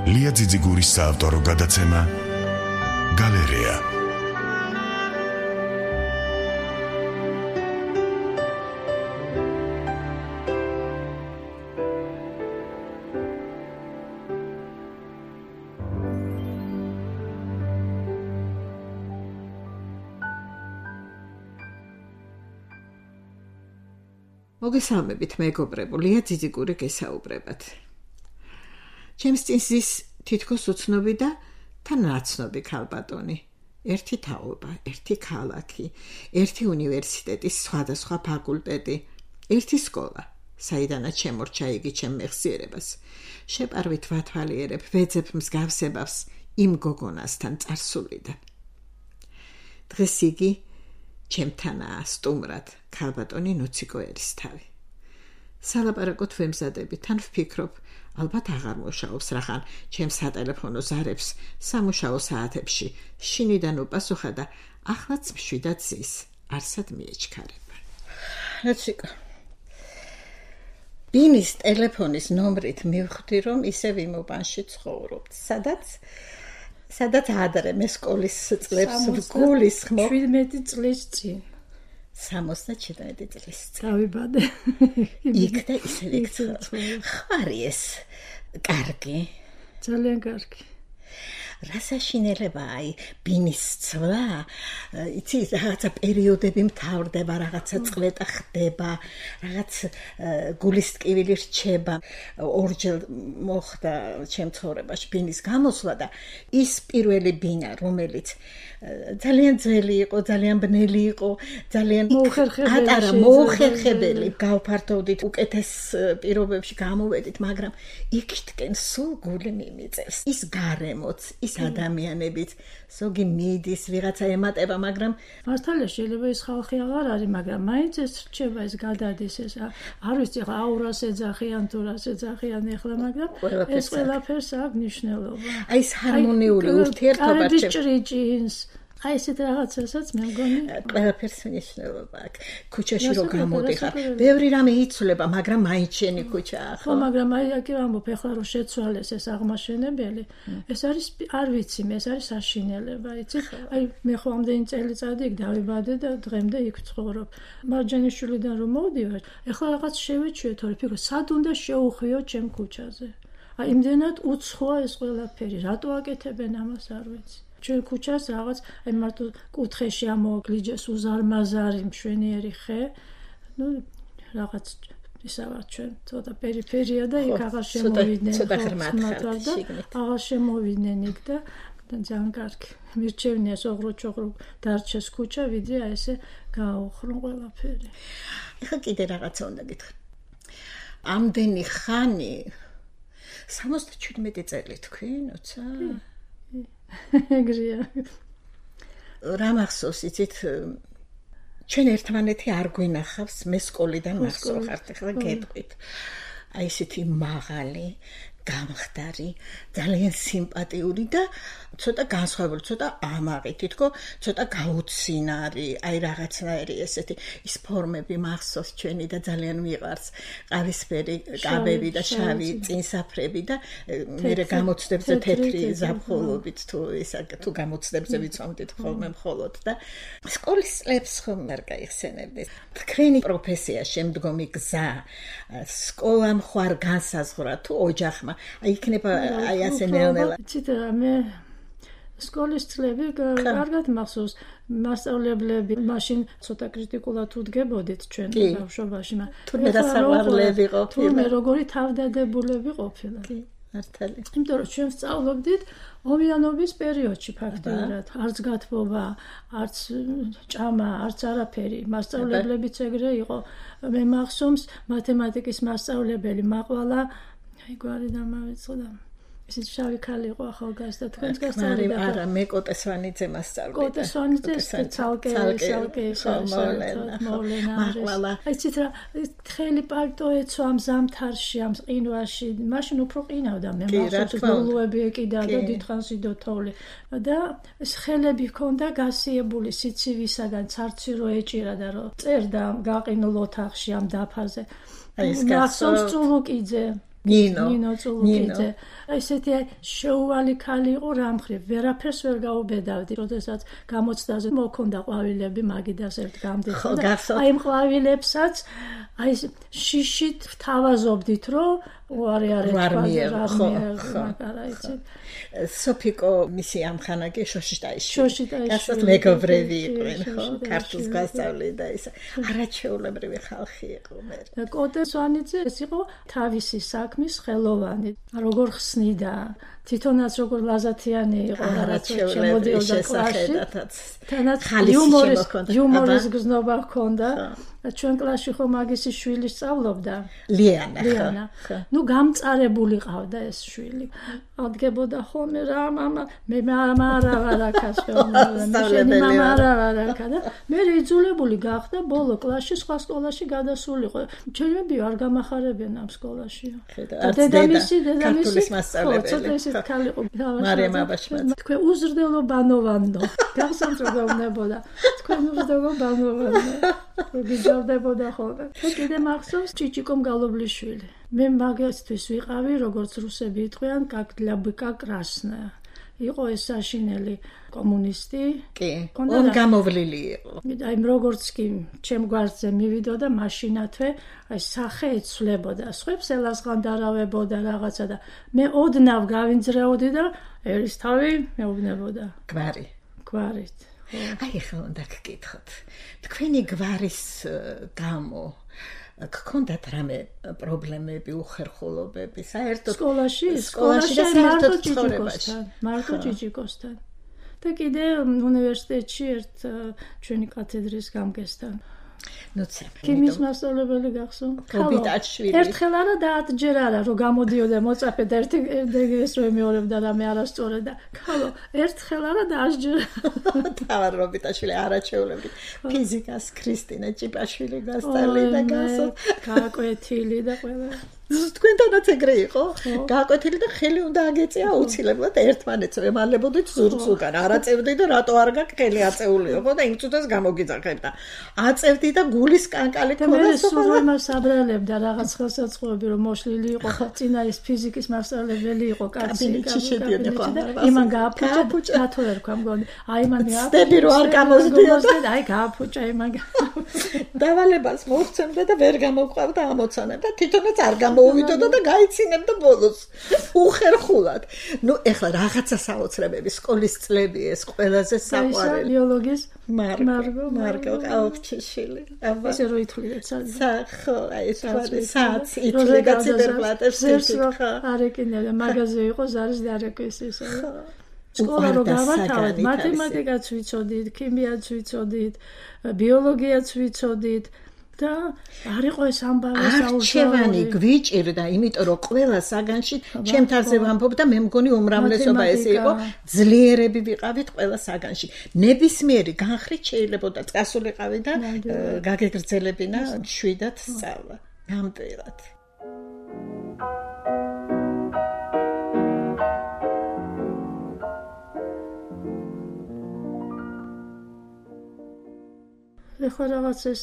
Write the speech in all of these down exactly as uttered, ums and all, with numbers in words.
ლია ძიძიგურის საავტორო გადაცემა გალერეა. მოგესალმებით მეგობრებო, ლია ძიძიგური გესაუბრებათ. ჩემს წინ ზის თითქოს უცნობი და თან ნაცნობი ქალბატონი. ერთი თაობა, ერთი ქალაქი, ერთი უნივერსიტეტის სხვადასხვა ფაკულტეტი, ერთი სკოლა, საიდანაც შემორჩა იგი ჩემ მეხსიერებას. შეპარვით ვათვალიერებ, ვეძებ მსგავსებას იმ გოგონასთან წარსულიდან. დღეს იგი ჩემთანაა სტუმრად ქალბატონი ნუციკო ერისთავი. სალაპარაკოდ ვემზადები, თან ვფიქრობ, ალბათ აღარ მუშაობს რახან ჩემს სატელეფონო ზარებს სამუშაო საათებში შინიდან უპასუხა და ახლაც მშვიდად ზის, არსად მიეჩქარება. ნუციკო, ბინის ტელეფონის ნომრით მივხვდი, რომ ისევ იმ უბანში ცხოვრობთ, სადაც სადაც ადრე მე სკოლის წლებს ვგულისხმობ. შვიდმეტი წლის წინ. სამოცდაჩვიდმეტი წლის წინ. დავიბადე. იქ და ისევ იქ ხარი ეს კარგი. ძალიან კარგი. რა საშინელება აი ბინის ცვლა, იცი რაღაცა პერიოდები მთავრდება, რაღაცა წლეტა ხდება, რაღაც გულის ტკივილი რჩება. ორჯერ მოხდა ჩემ ცხოვრებაში ბინის გამოსვლა და ის პირველი ბინა, რომელიც ძალიან ძველი იყო, ძალიან ბნელი იყო, ძალიან ატარა მოუხერხებელი, გავფართოვდით, უკეთეს პირობებში გამოვედით, მაგრამ იქითკენ სულ გული მიმიწევს. ის გარემოც, ის ადამიანებით, ზოგი მიდის, ვიღაცა ემატება, მაგრამ მართალია შეიძლება ის ხალხი აღარ არის, მაგრამ მაინც ეს რჩება, ეს გადადის, ეს არ ვიცი, ახლა აურას ეძახიან თუ რას ეძახიან ახლა, მაგრამ ეს ყველაფერს აქვს მნიშვნელობა. აი ეს ჰარმონიული ურთიერთობა ჭრიჭინს, აი ესეთ რაღაცასაც მე მგონი ყველაფერს მნიშვნელობა აქვს. ქუჩაში რო გამოდიხარ, ბევრი რამე იცვლება, მაგრამ მაინც შენი ქუჩაა, ხო, მაგრამ აი აქ ამბობ, ახლა რომ შეცვალეს ეს აღმაშენებელი, ეს არის არ ვიცი, ეს არის საშინელება, იცი? აი მე ხო ამდენი წელიწადი იქ დავიბადე და დღემდე იქ ვცხოვრობ. მარჯანიშვილიდან რომ მოვდივარ, ახლა რაღაც შევეჩვიე, თორე ფიქრობ, სად უნდა შეუხვიო ჩემ ქუჩაზე. აი იმდენად უცხოა ეს ყველაფერი, რატო აკეთებენ ამას არ ვიცი. ჩვენ ქუჩას რაღაც აი მარტო კუთხეში ამოაგლიჯეს უზარმაზარი მშვენიერი ხე, ну რაღაც ისა ვარ ჩვენ ცოტა პერიფერია და იქ აღარ შემოვიდნენ ცოტა ღრმად ხარ და აღარ შემოვიდნენ იქ და ძალიან კარგი მირჩევნია სოღრო-ჩოღრო დარჩეს ქუჩა, ვიდრე აი ესე გააუხრონ ყველაფერი. ეხლა კიდე რაღაცა უნდა გითხრა. ამდენი ხანი სამოცდაჩვიდმეტი წელი თქვი, ნოცა? ეგრეა. რა მახსოვს, იცით, ჩვენ ერთმანეთი არ გვინახავს, მე სკოლიდან მახსოვხართ, ახლა გეტყვით. აი ესეთი მაღალი, გამხდარი, ძალიან სიმპათიური და ცოტა განსხვავებული, ცოტა ამაღი, თითქო ცოტა გაუცინარი, აი რაღაცნაირი ესეთი ის ფორმები მახსოვს ჩვენი და ძალიან მიყვარს. ყავისფერი კაბები და შავი წინსაფრები და მერე გამოცდებზე თეთრი ზაფხულობით თუ ისა თუ გამოცდებზე ვიცვამდით ხოლმე მხოლოდ და სკოლის წლებს ხომ არ გაიხსენებდი. თქვენი პროფესია, შემდგომი გზა, სკოლა მხარ განსაზღვრა თუ ოჯახმა აი იქნება აი ასე ნელ-ნელა. ცით მე სკოლის წლები კარგად მახსოვს, მასწავლებლები მაშინ ცოტა კრიტიკულად უდგებოდით ჩვენ ბავშვობაში, თურმე დასაყვარლები ყოფილა. თურმე როგორი თავდადებულები ყოფილა. კი, მართალი. იმიტომ რომ ჩვენ სწავლობდით ომიანობის პერიოდში ფაქტიურად, არც გათბობა, არც ჭამა, არც არაფერი. მასწავლებლებიც ეგრე იყო. მე მახსოვს მათემატიკის მასწავლებელი მაყვალა აი გვარი დამავიწყდა. ისიც შავი ქალი იყო ახალგაზრდა, თქვენც გასწავლიდა. არა, მე კოტესვანიძე მასწავლიდა. კოტესვანიძე ცალკე ცალკე მოვლენა. მაყვალა. აი ცით რა თხელი პალტო ეცვა ამ ზამთარში, ამ ყინვაში, მაშინ უფრო ყინავდა მე მახსოვს გულუები ეკიდა და დიდხანს იდო თოვლი. და ეს ხელები ჰქონდა გასიებული სიცივისაგან, ცარცი რო ეჭირა და რო წერდა გაყინულ ოთახში ამ დაფაზე. აი ეს გასწავლს წულუკიძე. ნინო ნინო წულუკიძე ესეთი შეუვალი ქალი იყო რა მხრივ ვერაფერს ვერ გაუბედავდი როდესაც გამოცდაზე მოქონდა ყვავილები მაგიდას ერთ გამდიხო და აი იმ ყვავილებსაც აი შიშით თავაზობდით რომ უარი არ ეთქვა ხო მაგარა იცი სოფიკო მისი ამხანაგე შოშიტაიში შოშიტაიში გასած მეგობრები იყვნენ ხო ქართულს გასწავლიდა ის არაჩვეულებრივი ხალხი იყო მე და კოტე სვანიძე ეს იყო თავისი საქმის ხელოვანი როგორ ხსნიდა თვითონაც როგორ ლაზათიანი იყო რაც შემოდიოდა კლასში თანაც იუმორის იუმორის გზნობა ჰქონდა ჩვენ კლასში ხო მაგისი შვილი სწავლობდა ლიანა ლიანა ნუ გამწარებული ყავდა ეს შვილი ადგებოდა ხოლმე რა მამა მე მამა რა ვარაქას მე მამა რა ვარაქა და მე იძულებული გახდა ბოლო კლასში სხვა სკოლაში გადასულიყო ჩემები არ გამახარებენ ამ სკოლაში და დედამისი დედამისი მასწავლებელი ქალი იყო მარიამ აბაშმაც თქვენ უზრდელო ბანოვანდო გასამწრებელნებოდა თქვენ უზრდელო ბანოვანდო გიჟავდებოდა ხოლმე და კიდე მახსოვს ჭიჭიკომ გალობლიშვილი მე მაგასთვის ვიყავი როგორც რუსები იტყვიან как для быка красная იყო ეს საშინელი კომუნისტი კი он გამოვლილი იყო აი როგორც კი ჩემ გვარზე მივიდოდა მაშინათვე აი სახე ეცვლებოდა სხვებს ელასღანდარავებოდა რაღაცა და მე ოდნავ გავინძრეოდი და ერისთავი მეუბნებოდა გვარი გვარით აი ხო უნდა გკითხოთ თქვენი გვარის გამო გქონდათ რამე პრობლემები უხერხულობები საერთოდ სკოლაში სკოლაში და საერთოდ ცხოვრებაში მარტო ჭიჭიკოსთან და კიდე უნივერსიტეტში ერთ ჩვენი კათედრის გამგესთან ნუცე ქიმიის მასწავლებელი გახსოვთ კობიტაშვილი ერთხელ არა და ათჯერ არა რომ გამოდიოდა მოწაფედ ერთი ეს რომ მეორებდა რამე არასწორად და ქალო ერთხელ არა და ათჯერ თავარ რობიტაშვილი არაჩვეულებრივი ფიზიკას ქრისტინე ჭიპაშვილი გასწავლიდა გასო გაკვეთილი და ყველა თქვენთანაც ეგრე იყო გაკვეთილი და ხელი უნდა აგეწია აუცილებლად ერთმანეთს ემალებოდით ზურგს უკან არ აწევდი და რატო არ გაქვს ხელი აწეულიო ხო და იმ წუთას გამოგიძახებ და აწევდი და გულის კანკალი ქონდა და სულ იმას აბრალებდა რაღაც ხელსაწყოები რომ მოშლილი იყო წინა ის ფიზიკის მასწავლებელი იყო კაცი იმან გააფუჭა რატო არ თქვა მგონი აი მან გააფუჭა რომ არ გამოსდიოდა აი გააფუჭა იმან დავალებას მოხცემდა და ვერ გამოყვავდა ამოცანა და თვითონაც არ მოვიდოდა და გაიცინებდა ბოლოს უხერხულად. ნუ ეხლა რაღაცა საოცრებები სკოლის წლები ეს ყველაზე საყვარელი. ბიოლოგიის მარგო მარგო ყავჩიშვილი. აბა ესე რო ითვლიდა საერთოდ ხო აი ეს საათს ითვლიდა ციფერბლატებს ხო არ ეკინებდა მაგაზე იყო ზარის დარეკვის ისე. სკოლა რო გავართავეთ მათემატიკაც ვიცოდით, ქიმიაც ვიცოდით, ბიოლოგიაც ვიცოდით. და არ იყო ეს ამბავი საუბარი გვიჭირდა იმიტომ რომ ყველა საგანში ჩემ თავზე ვამბობ და მე მგონი უმრავლესობა ესე იყო ძლიერები ვიყავით ყველა საგანში ნებისმიერი განხრით შეიძლებოდა წასულიყავი და გაგეგრძელებინა შვიდად სწავლა ნამდვილად ეხლა რაღაც ეს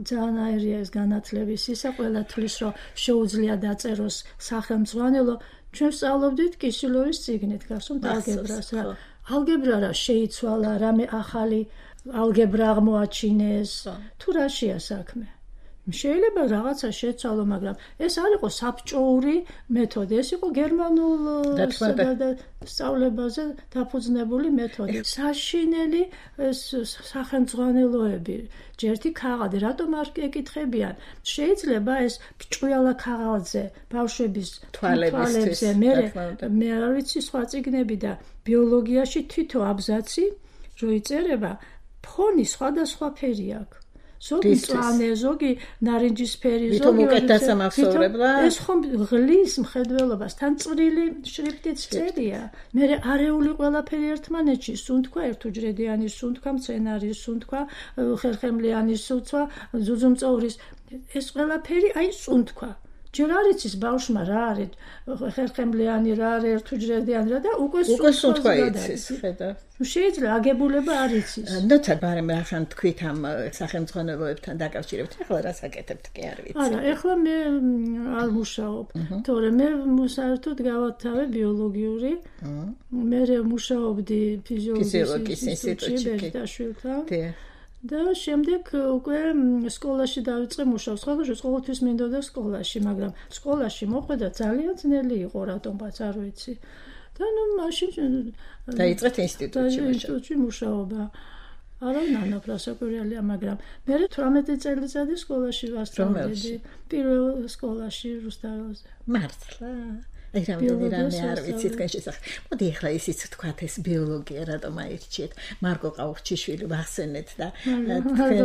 ძალიან აირია ეს განათლების ისა ყველა თვლის რომ შეუძლია დაწეროს სახელმძღვანელო ჩვენ სწავლობდით კისილოვის წიგნით გახსოვთ ალგებრას რა ალგებრა რა შეიცვალა რამე ახალი ალგებრა აღმოაჩინეს თუ რაშია საქმე შეიძლება რაღაცა შეცვალო მაგრამ ეს არ იყო საბჭოური მეთოდი ეს იყო გერმანულ სწავლებაზე დაფუძნებული მეთოდი საშინელი ეს სახელმძღვანელოები ჯერთი ქაღალდი რატომ არ ეკითხებიან შეიძლება ეს ჭყუიალა ქაღალდზე ბავშვების თვალებზე მე მე არ ვიცი სხვა წიგნები და ბიოლოგიაში თითო აბზაცი რო იწერება ფონი სხვადასხვა ფერი აქვს ზოგი წვანე, ზოგი ნარინჯისფერი, ზოგი უკეთესამახსოვრებლა. ეს ხომ ღლის მხედველობას თან წვრილი შრიფტიც წერია. მე არეული ყველაფერი ერთმანეთში, სუნთქვა ერთუჯრედიანი, სუნთქვა მცენარის, სუნთქვა ხერხემლიანი, სუნთქვა ზუზუმწოვრის. ეს ყველაფერი აი სუნთქვა. ჯერ არ იცის ბავშვმა რა არის ხერხემლიანი რა არის ერთუჯრედიანი რა და უკვე უკვე სუნთქვა იცის ხედა შეიძლება აგებულება არ იცის ნოცა ბარემ რახან თქვით ამ სახელმძღვანელოებთან დაკავშირებით ახლა რა საკეთებთ კი არ ვიცი არა ახლა მე არ მუშაობ თორემ მე საერთოდ გავათავე ბიოლოგიური მე მუშაობდი ფიზიოლოგიის ინსტიტუტში ბეჟდაშვილთან და შემდეგ უკვე სკოლაში დავიწყე მუშაობს. ხოლმე ყოველთვის მინდოდა სკოლაში, მაგრამ სკოლაში მოხვედა ძალიან ძნელი იყო, რატომაც არ ვიცი. და ნუ მაშინ დაიწყეთ ინსტიტუტში ინსტიტუტში მუშაობა. არა ნანა პრასაკვირელია, მაგრამ მე თვრამეტი წელიწადი სკოლაში ვასწავლედი. პირველ სკოლაში რუსთაველზე. მართლა აი რამდენი რამე არ ვიცი თქვენ შესახებ. მოდი ახლა ისიც თქვათ ეს ბიოლოგია რატომ აირჩიეთ. მარკო ყაურჩიშვილი ვახსენეთ და თქვენ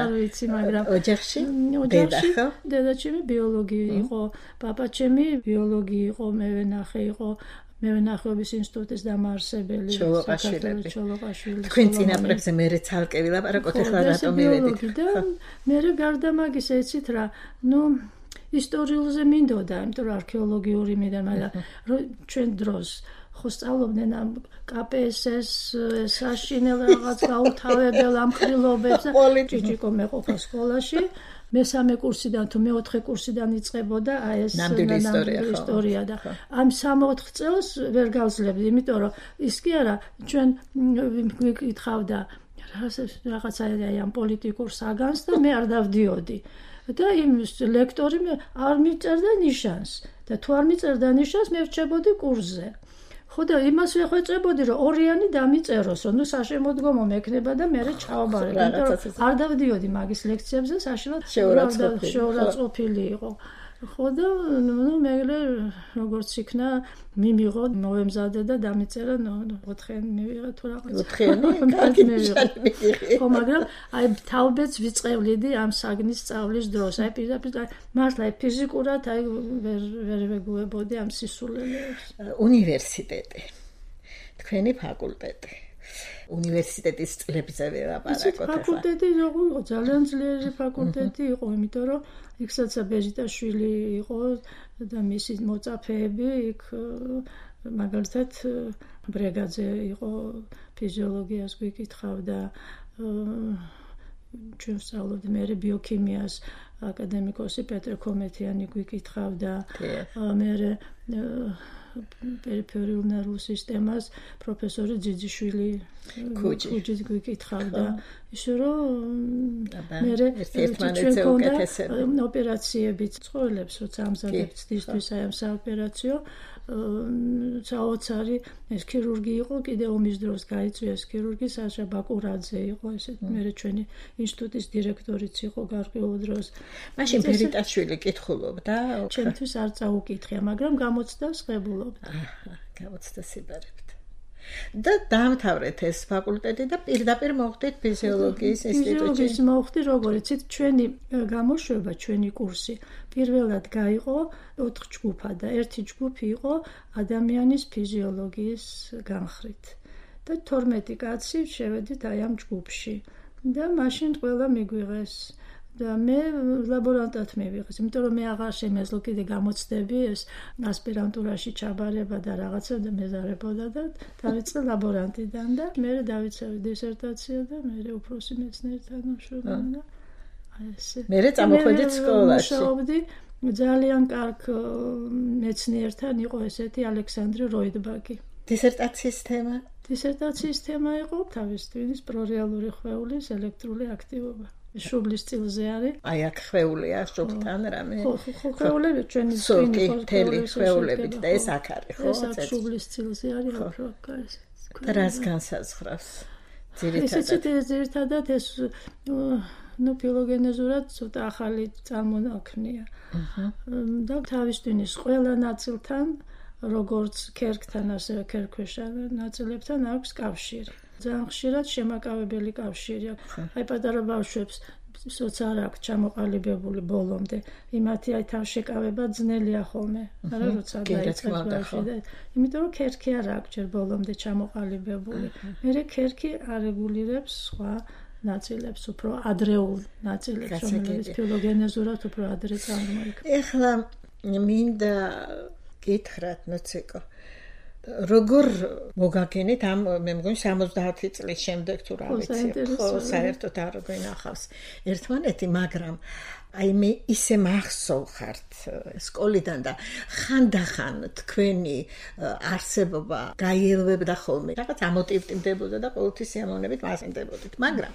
არ ვიცი, მაგრამ ოჯახში ოჯახში დედაჩემი ბიოლოგი იყო, პაპაჩემი ბიოლოგი იყო, მე ვენახე იყო მევენახეობის ინსტიტუტის დამაარსებელი ჩოლოყაშვილები. თქვენ წინაპრებზე მერე ცალკე ვილაპარაკოთ ახლა რატომ მივედით. და მე გარდა მაგისა იცით რა, ნუ ისტორიულზე მინდოდა, იმიტომ რომ არქეოლოგიური მინდა, მაგრამ ჩვენ დროს ხო სწავლობდნენ ამ კა პე ეს ეს საშინელ რაღაც გაუთავებელ ამხრილობებს და ჭიჭიკო მეყოფა სკოლაში. მესამე კურსიდან თუ მეოთხე კურსიდან იწყებოდა აი ეს ნამდვილი ისტორია და ამ სამოთხ წელს ვერ გავსლებდი, იმიტომ რომ ის კი არა ჩვენ ვიკითხავდა რაღაცა ამ პოლიტიკურ საგანს და მე არ დავდიოდი. და იმ ლექტორი არ მიწერდა ნიშანს და თუ არ მიწერდა ნიშანს მე ვრჩებოდი კურსზე. ხო და იმას ვეხვეწებოდი რომ ორიანი დამიწეროსო, ნუ საშემოდგომო მექნება და მე ჩავაბარებ, იმიტომ რომ არ დავდიოდი მაგის ლექციებზე, საშინლად შეურაცხყოფილი იყო. ხო და ნუ მე როგორც იქნა მიმიღო მოემზადე და დამიწერა ოთხიანი მივიღე თუ რაღაც ოთხიანი კარგი ნიშანი ხო მაგრამ აი თავბეც ვიწყევლიდი ამ საგნის სწავლის დროს აი პირდაპირ მართლა ფიზიკურად აი ვერ ვერ ვეგუებოდი ამ სისულელეებს უნივერსიტეტი თქვენი ფაკულტეტი უნივერსიტეტის წლებზე ვილაპარაკოთ ახლა ფაკულტეტი როგორ იყო ძალიან ძლიერი ფაკულტეტი იყო იმიტომ რომ იქსაც ბეჟიტაშვილი იყო და მისი მოწაფეები იქ მაგალითად ბრეგაძე იყო ფიზიოლოგიას გვიკითხავდა ჩვენ ვსწავლობდი მე ბიოქიმიას აკადემიკოსი პეტრე კომეთიანი გვიკითხავდა მე პერიფერიულ ნერვულ სისტემას პროფესორი ძიძიშვილი ქუჯის გვიკითხავდა ისე რომ მე ერთმანეთზე უკეთესები ოპერაციებიც ცხოვრებს როცა ამზადებთ ცდისთვის აი ამ საოპერაციო საოცარი ეს ქირურგი იყო კიდე ომის დროს გაიწვიეს ქირურგი საშა ბაკურაძე იყო ესეთ მე ჩვენი ინსტიტუტის დირექტორიც იყო გარკვეულ დროს მაშინ ფერიტაშვილი კითხულობდა ჩემთვის არ წაუკითხია მაგრამ გამოცდას ღებულობდა გამოცდა სიბარებთ და დაამთავრეთ ეს ფაკულტეტი და პირდაპირ მოხვდით ფიზიოლოგიის ინსტიტუტში. ფიზიოლოგიის მოხვდი, როგორც იცით, ჩვენი გამოშვება, ჩვენი კურსი პირველად გაიყო ოთხ ჯგუფად და ერთი ჯგუფი იყო ადამიანის ფიზიოლოგიის განხრით. და თორმეტი კაცი შევედით აი ამ ჯგუფში. და მაშინ ყველა მიგვიღეს და მე ლაბორანტად მივიღეს, იმიტომ რომ მე აღარ შემეძლო კიდე გამოცდები ეს ასპირანტურაში ჩაბარება და რაღაცა და მეზარებოდა და დავიწყე ლაბორანტიდან და მე დავიცავი დისერტაცია და მე უფროსი მეცნიერთან მუშაობდი და ესე. მე წამოხვედით სკოლაში. მუშაობდი ძალიან კარგ მეცნიერთან იყო ესეთი ალექსანდრე როიდბაგი. დისერტაციის თემა? დისერტაციის თემა იყო თავის ტვინის პრორეალური ხვეულის ელექტრული აქტივობა. შუბლის წილზე არის. აი აქ ხვეულია შუბთან რამე. ხო, ხო, ხვეულები ჩვენი ტვინი თელი ხვეულებით და ეს აქ არის, ხო? ეს აქ შუბლის წილზე არის, ხო, ეს. და რას განსაზღვრავს? ძირითადად ეს ძირითადად ეს ნუ ფილოგენეზურად ცოტა ახალი წარმონაქმნია. და თავის ტვინის ყველა ნაწილთან, როგორც ქერქთან, ასევე ქერქვეშა ნაწილებთან აქვს კავშირი. ძალიან ხშირად შემაკავებელი კავშირი აქვს. აი პატარა ბავშვებს სოც არ აქვს ჩამოყალიბებული ბოლომდე. იმათი აი თავშეკავება ძნელია ხოლმე. არა როცა დაიწყებს ბავშვი და იმიტომ რომ ქერქი არ აქვს ჯერ ბოლომდე ჩამოყალიბებული. მერე ქერქი არეგულირებს სხვა ნაწილებს, უფრო ადრეულ ნაწილებს, რომელიც ფილოგენეზურად უფრო ადრე წარმოიქმნა. ეხლა მინდა გითხრათ, ნოციკო, როგორ მოგაგენით ამ მე მგონი სამოცდაათი წლის შემდეგ თუ რა ვიცი, ხო, საერთოდ არ გვინახავს ერთმანეთი, მაგრამ აი მე ისე მახსოვხართ სკოლიდან და ხანდახან თქვენი არსებობა გაიელვებდა ხოლმე. რაღაც ამოტივტივდებოდა და ყოველთვის სიამოვნებით მასწინდებოდით, მაგრამ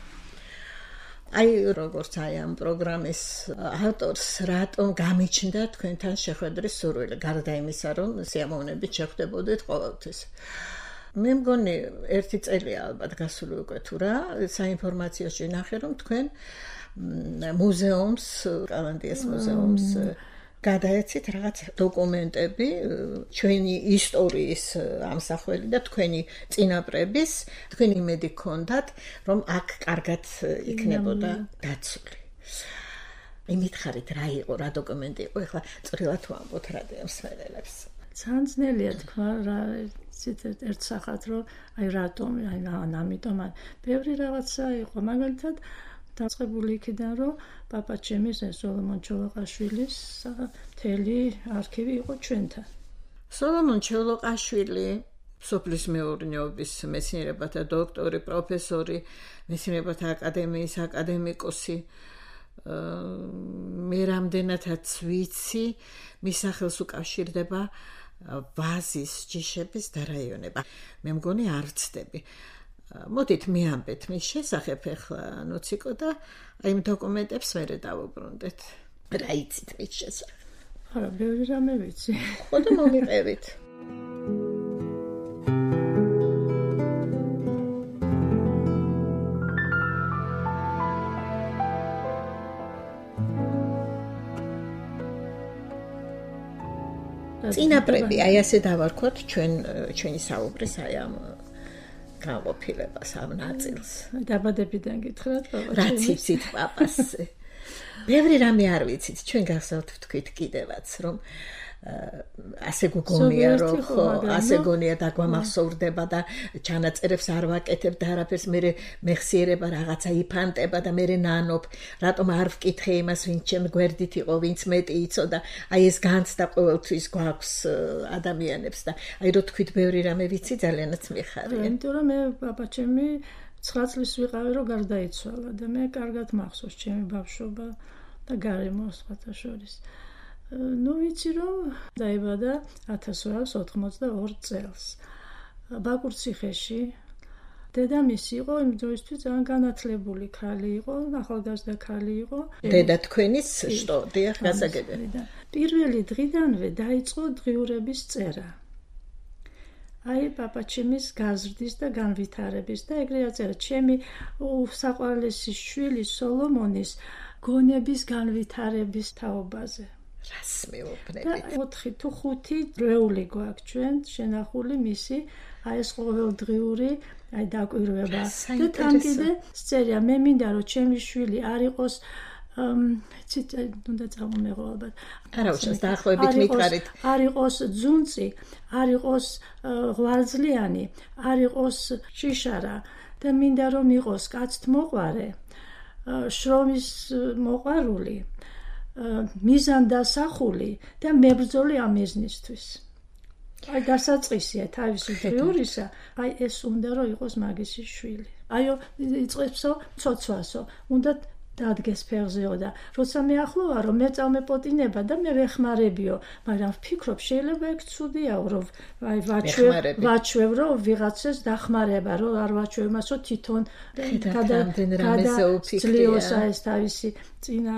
აი როგორც აი ამ პროგრამის ავტორს რატომ გამიჩნდა თქვენთან შეხვედრის სურვილი, გარდა იმისა, რომ სიამოვნებით შეხვდებოდით ყოველთვის. მე მგონი ერთი წელია ალბათ გასული უკვე თუ რა, საინფორმაციოში ნახე, რომ თქვენ მუზეუმს, კალანდიას მუზეუმს გადაეცით რაღაც დოკუმენტები ჩვენი ისტორიის ამსახველი და თქვენი წინაპრების, თქვენი იმედი გქონდათ, რომ აქ კარგად იქნებოდა დაცული. იმითხარით რა იყო, რა დოკუმენტი იყო, ეხლა წვრილად ვამბობთ რადიომსმენელებს. ძალიან ძნელია თქვა რა ერთ სახად, რომ აი რატომ, აი ამიტომ, ბევრი რაღაცა იყო, მაგალითად დაწყებული იქიდან, რომ პაპაჩემის სოლომონ ჩოლოყაშვილის მთელი არქივი იყო ჩვენთან. სოლომონ ჩოლოყაშვილი სოფლის მეურნეობის მეცნიერებათა დოქტორი, პროფესორი, მეცნიერებათა აკადემიის აკადემიკოსი. მე რამდენადაც ვიცი, მის სახელს უკავშირდება ვაზის ჯიშების დარაიონება. მე მგონი არ ვცდები. მოდით მიამბეთ მის შესახებ ახლა ნოციკო და აი იმ დოკუმენტებს მერე დავუბრუნდეთ. რა იცით მის შესახებ? არა, ბევრი რამე ვიცი. ხო და მომიყევით. წინაპრები, აი ასე დავარქვათ ჩვენ ჩვენი საუბრის აი ამ განყოფილებას ამ ნაწილს. დაბადებიდან გითხრათ პაპას. რაც იცით პაპასზე. ბევრი რამე არ ვიცით, ჩვენ გახსოვთ ვთქვით კიდევაც, რომ ასე გგონია, რომ ხო, ასე გონია დაგვამახსოვრდება და ჩანაწერებს არ ვაკეთებ და არაფერს მე მეხსიერება რაღაცა იფანტება და მე ნანობ, რატომ არ ვკითხე იმას, ვინც ჩემ გვერდით იყო, ვინც მეტი იცოდა, აი ეს განცდა ყოველთვის გვაქვს ადამიანებს და აი რო თქვით ბევრი რამე ვიცი, ძალიანაც მიხარია. იმიტომ რომ მე პაპაჩემი ცხრა წლის ვიყავი, რომ გარდაიცვალა და მე კარგად მახსოვს ჩემი ბავშვობა და გარემო სხვათა შორის. ნუ ვიცი რომ დაიბადა ათას ოთხს ოცდაოთხ წელს ბაკურციხეში. დედამისი იყო იმ დროისთვის ძალიან განათლებული ქალი იყო, ახალგაზრდა ქალი იყო. დედა თქვენის შტო, დიახ, გასაგებია. პირველი დღიდანვე დაიწყო დღიურების წერა. აი პაპაჩემის გაზრდის და განვითარების და ეგრე აწერა ჩემი საყვარლესი შვილი სოლომონის გონების განვითარების თაობაზე. რას მეუბნებით? ოთხი თუ ხუთი დრეული გვაქვს ჩვენ შენახული მისი აი ეს ყოველდღიური აი დაკვირვება და თან კიდე სწერია მე მინდა რომ ჩემი შვილი არ იყოს ცით უნდა წამომეღო ალბათ არა უშავს დაახლოებით მითხარით არ იყოს ძუნწი არ იყოს ღვიძლიანი არ იყოს შიშარა და მინდა რომ იყოს კაცთმოყვარე შრომის მოყვარული მიზანდასახული და მებრძოლი ამ მიზნისთვის. აი დასაწყისია თავისი დღიურისა, აი ეს უნდა რომ იყოს მაგისი შვილი. აიო იწყებსო ცოცვასო, უნდა დადგეს ფეხზეო და როცა მე ახლოა რომ მე წავმეპოტინება და მე ვეხმარებიო, მაგრამ ვფიქრობ შეიძლება ეგ ცუდიაო რომ აი ვაჩვევ ვაჩვევ რომ ვიღაცას დახმარება რომ არ ვაჩვევ მასო თვითონ გადაძლიოსა ეს თავისი წინა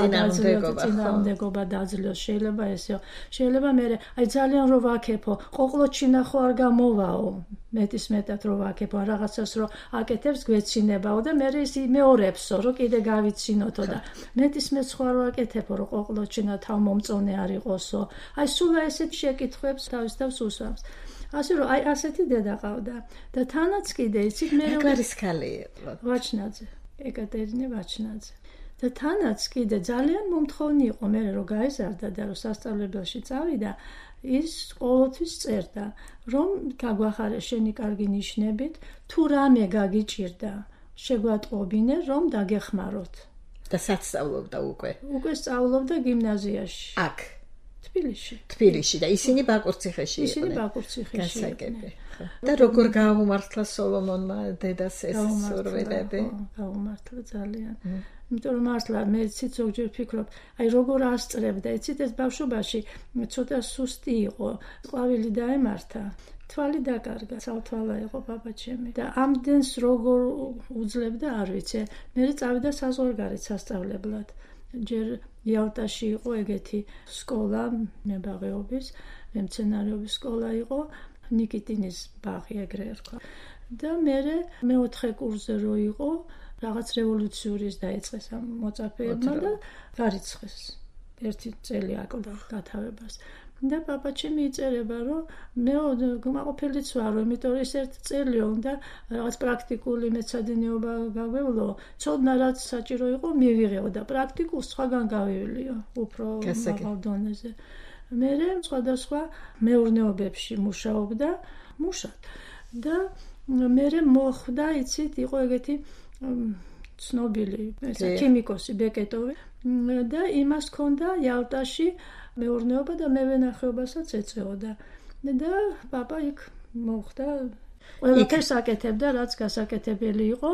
წინააღმდეგობა დაძლიოს შეიძლება ესეო შეიძლება მე აი ძალიან რო ვაკეთო ყოყლოჩინა ხო არ გამოვაო მეტის მეტად რო ვაკეთო რაღაცას რო აკეთებს გვეცინებაო და მე ის მეორებსო რომ კიდე გავიცინოთო და მეტის მეც ხო არ ვაკეთებო რომ ყოყლოჩინა თავმომწონე არ იყოსო აი სულ ესეთ შეკითხვებს თავის თავს უსვამს ასე რომ აი ასეთი დედა ყავდა და თანაც კიდე იცით მე რო არის ხალი ვაჩნაძე ეკატერინე ვაჩნაძე და თანაც კიდე ძალიან მომთხოვნი იყო მე რომ გაიზარდა და რომ სასწავლებელში წავიდა ის ყოველთვის წერდა რომ გაგვახარე შენი კარგი ნიშნებით თუ რამე გაგიჭირდა შეგვატყობინე, რომ დაგეხმაროთ. და სასწავლობდა უკვე. უკვე სწავლობდა გიმნაზიაში. აქ თბილისში. თბილისში და ისინი ბაკურციხეში იყვნენ. ისინი ბაკურციხეში იყვნენ. და როგორ გაუმართლა სოლომონმა დედას ეს სურვილები? გაუმართლა ძალიან. იმიტომ რომ მართლა მე ცით ზოგჯერ ვფიქრობ, აი როგორ ასწრებდა, იცით ეს ბავშვობაში ცოტა სუსტი იყო, ყვავილი დაემართა. თვალი დაკარგა, ცალთვალა იყო ბაბაჩემი და ამდენს როგორ უძლებდა არ ვიცი. მე წავიდა საზღვარგარეთ სასწავლებლად. ჯერ იალტაში იყო ეგეთი სკოლა, მებაღეობის, მემცენარეობის სკოლა იყო, ნიკიტინის ბაღი ეგრე ერქვა. და მე მეოთხე კურსზე რო იყო, რაღაც რევოლუციის დაიწყეს ამ მოწაფეებმა და გარიცხეს. ერთი წელი აკლდა გათავებას. და პაპაჩემი იწერება, რომ მე გმაყოფილიც ვარო, იმიტომ რომ ეს ერთ წელიო და რაღაც პრაქტიკული მეცადინეობა გაგვევლო, ცოდნა რაც საჭირო იყო მივიღეო და პრაქტიკულ სხვაგან გავივლიო, უფრო მაღალ დონეზე. მე სხვადასხვა მეურნეობებში მუშაობდა, მუშად. და მე მოხვდა, იცით, იყო ეგეთი ცნობილი ქიმიკოსი ბეკეტოვი და იმას ჰქონდა იალტაში მეურნეობა და მევენახეობასაც ეწეოდა. და პაპა იქ მოხვდა, ყველაფერს აკეთებდა, რაც გასაკეთებელი იყო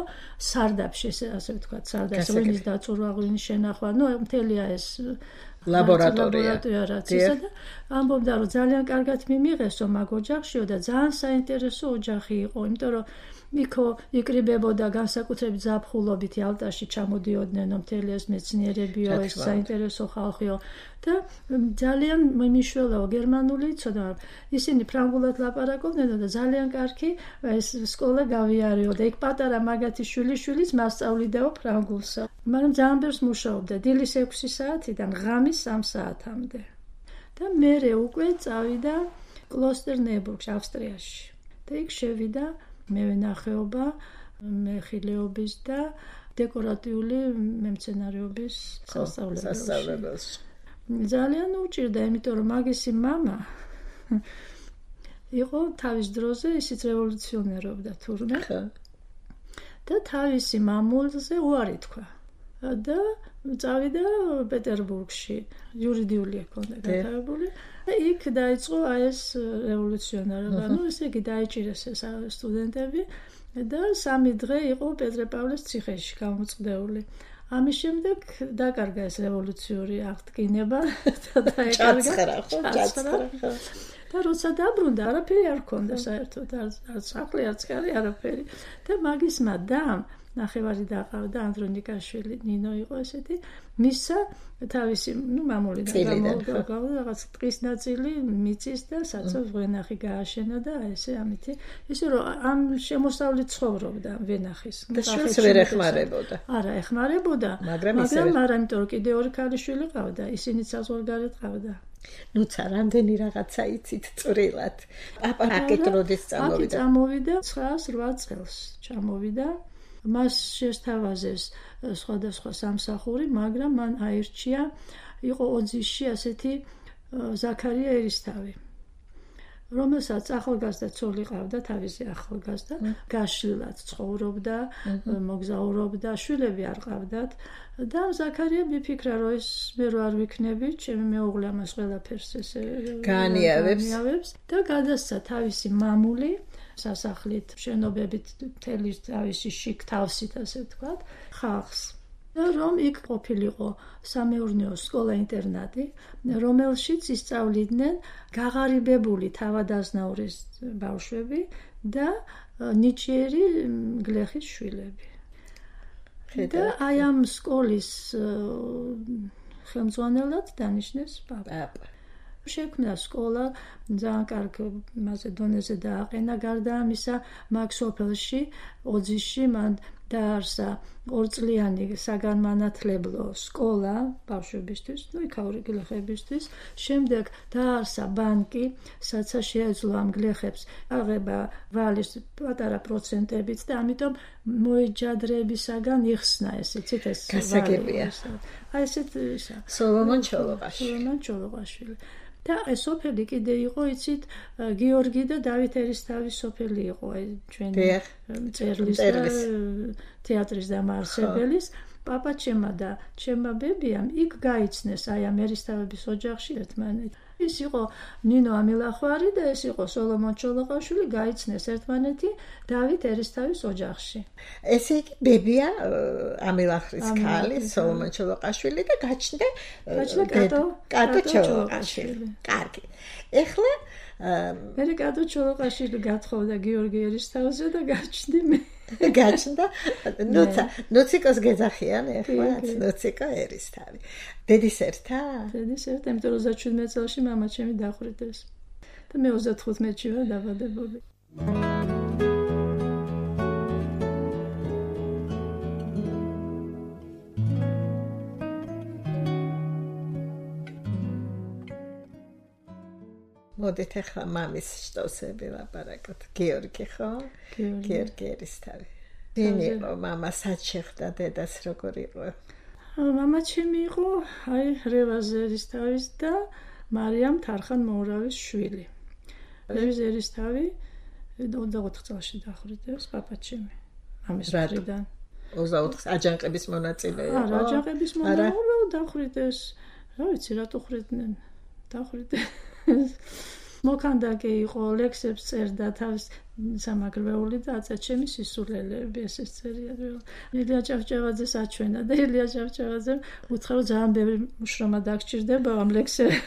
სარდაფში, ასე ვთქვათ, სარდაფში, ღვინის დაწურვა, ღვინის შენახვა, ნუ მთელია ეს ლაბორატორია რაც ისა და ამბობდა, რომ ძალიან კარგად მიმიღესო მაგ ოჯახშიო და ძალიან საინტერესო ოჯახი იყო, იმიტომ რომ იქო იკრიბებოდა განსაკუთრებით ზაფხულობით იალტაში ჩამოდიოდნენ მთელი ეს მეცნიერებიო, ეს საინტერესო ხალხიო და ძალიან მიმიშველაო გერმანული იცოდა. ისინი ფრანგულად ლაპარაკობდნენ და ძალიან კარგი ეს სკოლა გავიარეო და იქ პატარა მაგათი შვილიშვილიც მასწავლიდაო ფრანგულსა. მაგრამ ძალიან ბევრს მუშაობდა დილის ექვსი საათიდან ღამის სამ საათამდე. და მერე უკვე წავიდა კლოსტერნებურგში, ავსტრიაში. და იქ შევიდა მევენახეობა, მეხილეობის და დეკორატიული მემცენარეობის სასწავლებელში. ძალიან უჭირდა, იმიტომ რომ მაგისი მამა იყო თავის დროზე, ისიც რევოლუციონერობდა თურმე. და თავისი მამულზე უარი თქვა. და წავიდა პეტერბურგში, იურიდიული ჰქონდა გათავებული. და იქ დაიწყო აი ეს რევოლუციონერობა. ნუ ესე იგი დაიჭირეს ეს სტუდენტები და სამი დღე იყო პეტრე-პავლეს ციხეში გამოწყდეული. ამის შემდეგ დაკარგა ეს რევოლუციური აღდგინება და დაეკარგა ჩაცხრა. და როცა დაბრუნდა, არაფერი არ ჰქონდა საერთოდ, არც სახლი, არც კარი, არაფერი. და მაგისმა დამ ნახევარი დაყავდა, ანდრონიკაშვილი, ნინო იყო ესეთი, მისცა თავისი, ნუ მამულიდან გამოგავდა რაღაც ტყის ნაწილი, მიწის და საცავს ვენახი გააშენა და ესე ამითი, ისე რომ ამ შემოსავლით ცხოვრობდა ვენახის. და შვილს ვერ ეხმარებოდა. არა, ეხმარებოდა, მაგრამ არა, იმიტომ რომ კიდე ორი ქალიშვილი ყავდა, ისინიც საზღვარგარეთ ყავდა. ნუცა რამდენი რაღაცა იცით წვრილად. პაპა აკეთროდეს წამოვიდა. აკი წამოვიდა ცხრაას რვა წელს ჩამოვიდა. მას შესთავაზეს სხვადასხვა სამსახური, მაგრამ მან აირჩია, იყო ოძისში ასეთი ზაქარია ერისთავი, რომელსაც ახალგაზრდა ცოლი ყავდა, თავისი ახალგაზრდა, გაშლილად ცხოვრობდა, მოგზაურობდა, შვილები არ ყავდათ და ზაქარია მიფიქრა, რომ ეს მე რო არ ვიქნები, ჩემი მეუღლე ამას ყველაფერს ესე გაანიავებს და გადასცა თავისი მამული სასახლით, შენობებით, მთელი თავისი შიგ თავსით, ასე ვთქვათ, ხალხს. და რომ იქ ყოფილიყო სამეურნეო სკოლა-ინტერნატი, რომელშიც ისწავლიდნენ გაღარიბებული თავადაზნაურის ბავშვები და ნიჭიერი გლეხის შვილები. და აი ამ სკოლის ხელმძღვანელად დანიშნეს პაპა. შექმნა სკოლა, ძალიან კარგ მასე დონეზე დააყენა, გარდა ამისა, მაგ სოფელში, ოძისში მან დაარსა ორწლიანი საგანმანათლებლო სკოლა ბავშვებისთვის, ნუ იქაური გლეხებისთვის. შემდეგ დაარსა ბანკი, სადაც შეეძლო ამ გლეხებს აღება ვალის პატარა პროცენტებით და ამიტომ მოეჯადრებისაგან იხსნა ესე, ცით ეს გასაგებია. აი ესეთ ისა. სოლომონ ჩოლოყაშვილი. სოლომონ ჩოლოყაშვილი. და ეს სოფელი კიდე იყო, იცით, გიორგი და დავით ერისთავის სოფელი იყო, აი ჩვენი მწერლის და თეატრის დამაარსებელის. პაპა ჩემა და ჩემა ბებიამ იქ გაიცნეს აი ამ ერისთავების ოჯახში ერთმანეთი. ის იყო ნინო ამილახვარი და ეს იყო სოლომონ ჩოლოყაშვილი, გაიცნეს ერთმანეთი დავით ერისთავის ოჯახში. ესე იგი ბებია ამილახრის ქალი სოლომონ ჩოლოყაშვილი და გაჩნდა კატო ჩოლოყაშვილი. კარგი. ეხლა მე კატო ჩოლოყაშვილი გათხოვდა გიორგი ერისთავზე და გაჩნდი მე. გაჩნდა ნუცა ნუციკოს გეძახიან ეხლა ნუციკო ერისთავი. დედის ერთა? დედის ერთა, იმიტომ რომ ოცდაშვიდმეტ წელში მამა ჩემი დახვრიტეს და მე ოცდათხუთმეტში ვარ დაბადებული. მოდით ახლა მამის შტოსები ვაპარაკოთ. გიორგი ხო? გიორგი ერისთავი. ვინ იყო მამა, სად შეხვდა დედას, როგორ იყო? მამა ჩემი იყო აი რევაზ ერისთავის და მარიამ თარხან მოურავის შვილი. რევაზ ერისთავი ოცდაოთხ წელში დახვრიტეს პაპა ჩემი მამის მხრიდან. ოცდაოთხ აჯანყების მონაწილე იყო? არა, აჯანყების მონაწილე დახვრიტეს. რა ვიცი, რატო ხვriდნენ? დახვრიტეს. მოქანდაკე იყო, ლექსებს წერდა თავის სამაგრვეული და აწა ჩემი სისულელეები ესეც წერია. ილია ჭავჭავაძეს აჩვენა და ილია ჭავჭავაძემ უთხრა რომ ძალიან ბევრი მუშრომა დაგჭირდება ამ ლექსებს.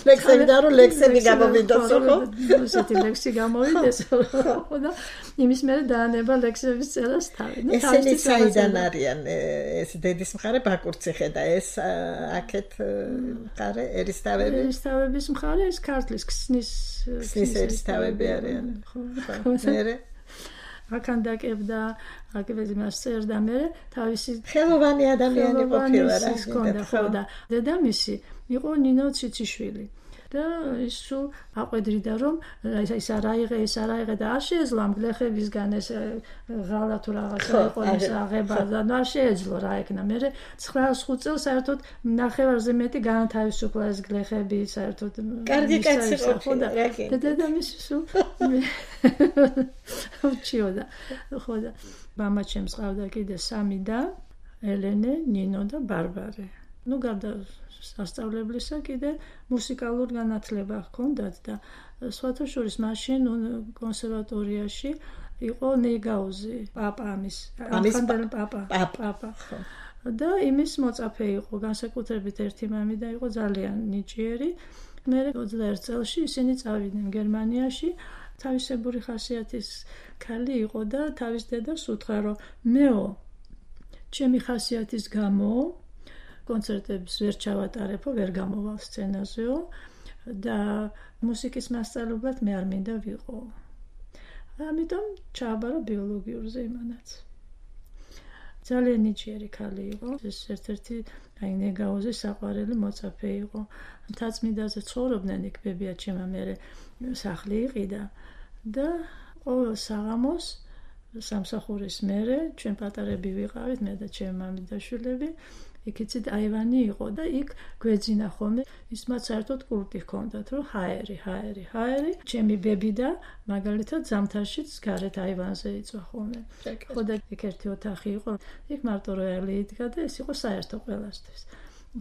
ლექსები და რომ ლექსები გამოვიდოს ხო? ესეთი ლექსი გამოვიდეს ხო და იმის მერე დაანება ლექსების წერას თავი. ესენი საიდან არიან ეს დედის მხარე ბაკურციხე და ეს აქეთ მხარე ერისთავები? ერისთავების მხარე ეს ქართლის ქსნის ქსნის ერისთავები არიან. ხო. მერე აკანდაკებდა, აკეთებდა მას წერდა მერე თავისი ხელოვანი ადამიანი ყოფილა რა. ხო და დედამისი იყო ნინო ციციშვილი და ის სულ აყვედრიდა რომ ის არაიღე ის არაიღე და არ შეეძლო ამ გლეხებისგან ეს ღალა თუ რაღაცა იყო ის აღება და არ შეეძლო რა ეკნა. მე ცხრაას ხუთ წელს საერთოდ ნახევარზე მეტი განათავისუფლა ეს გლეხები საერთოდ. კარგი კაცი ყოფილა და დედამისი სულ უჩიოდა ხო და მამა ჩემს ყავდა კიდე სამი და ელენე, ნინო და ბარბარე. ნუ გარდა სასწავლებლისა კიდე მუსიკალურ განათლება ჰქონდათ და სხვათა შორის მაშინ კონსერვატორიაში იყო ნეგაუზი, პაპა ამის, ამხანდელი პაპა, პაპა. და იმის მოწაფე იყო, განსაკუთრებით ერთი მამიდა იყო ძალიან ნიჭიერი. მე ოცდაერთ წელში ისინი წავიდნენ გერმანიაში. თავისებური ხასიათის ქალი იყო და თავის დედას უთხრა რომ მეო ჩემი ხასიათის გამო კონცერტებს ვერ ჩავატარებო, ვერ გამოვალ სცენაზეო და მუსიკის მასწავლებლად მე არ მინდა ვიყო. ამიტომ ჩააბარა ბიოლოგიურზე იმანაც. ძალიან ნიჭიერი ქალი იყო. ეს ერთ-ერთი აი ნეგაუზის საყვარელი მოწაფე იყო. მთაწმინდაზე ცხოვრობდნენ იქ ბებია ჩემა მერე სახლი იყიდა და ყოველ საღამოს სამსახურის მერე ჩვენ პატარები ვიყავით, მე და ჩემი მამი და შვილები. იქიცით აივანი იყო და იქ გვეძინა ხოლმე ის მათ საერთოდ კურტი ჰქონდათ რომ ჰაერი, ჰაერი, ჰაერი. ჩემი ბები და მაგალითად ზამთარშიც გარეთ აივანზე იწვა ხოლმე. ხო და იქ ერთი ოთახი იყო, იქ მარტო როიალი იდგა და ეს იყო საერთო ყველასთვის.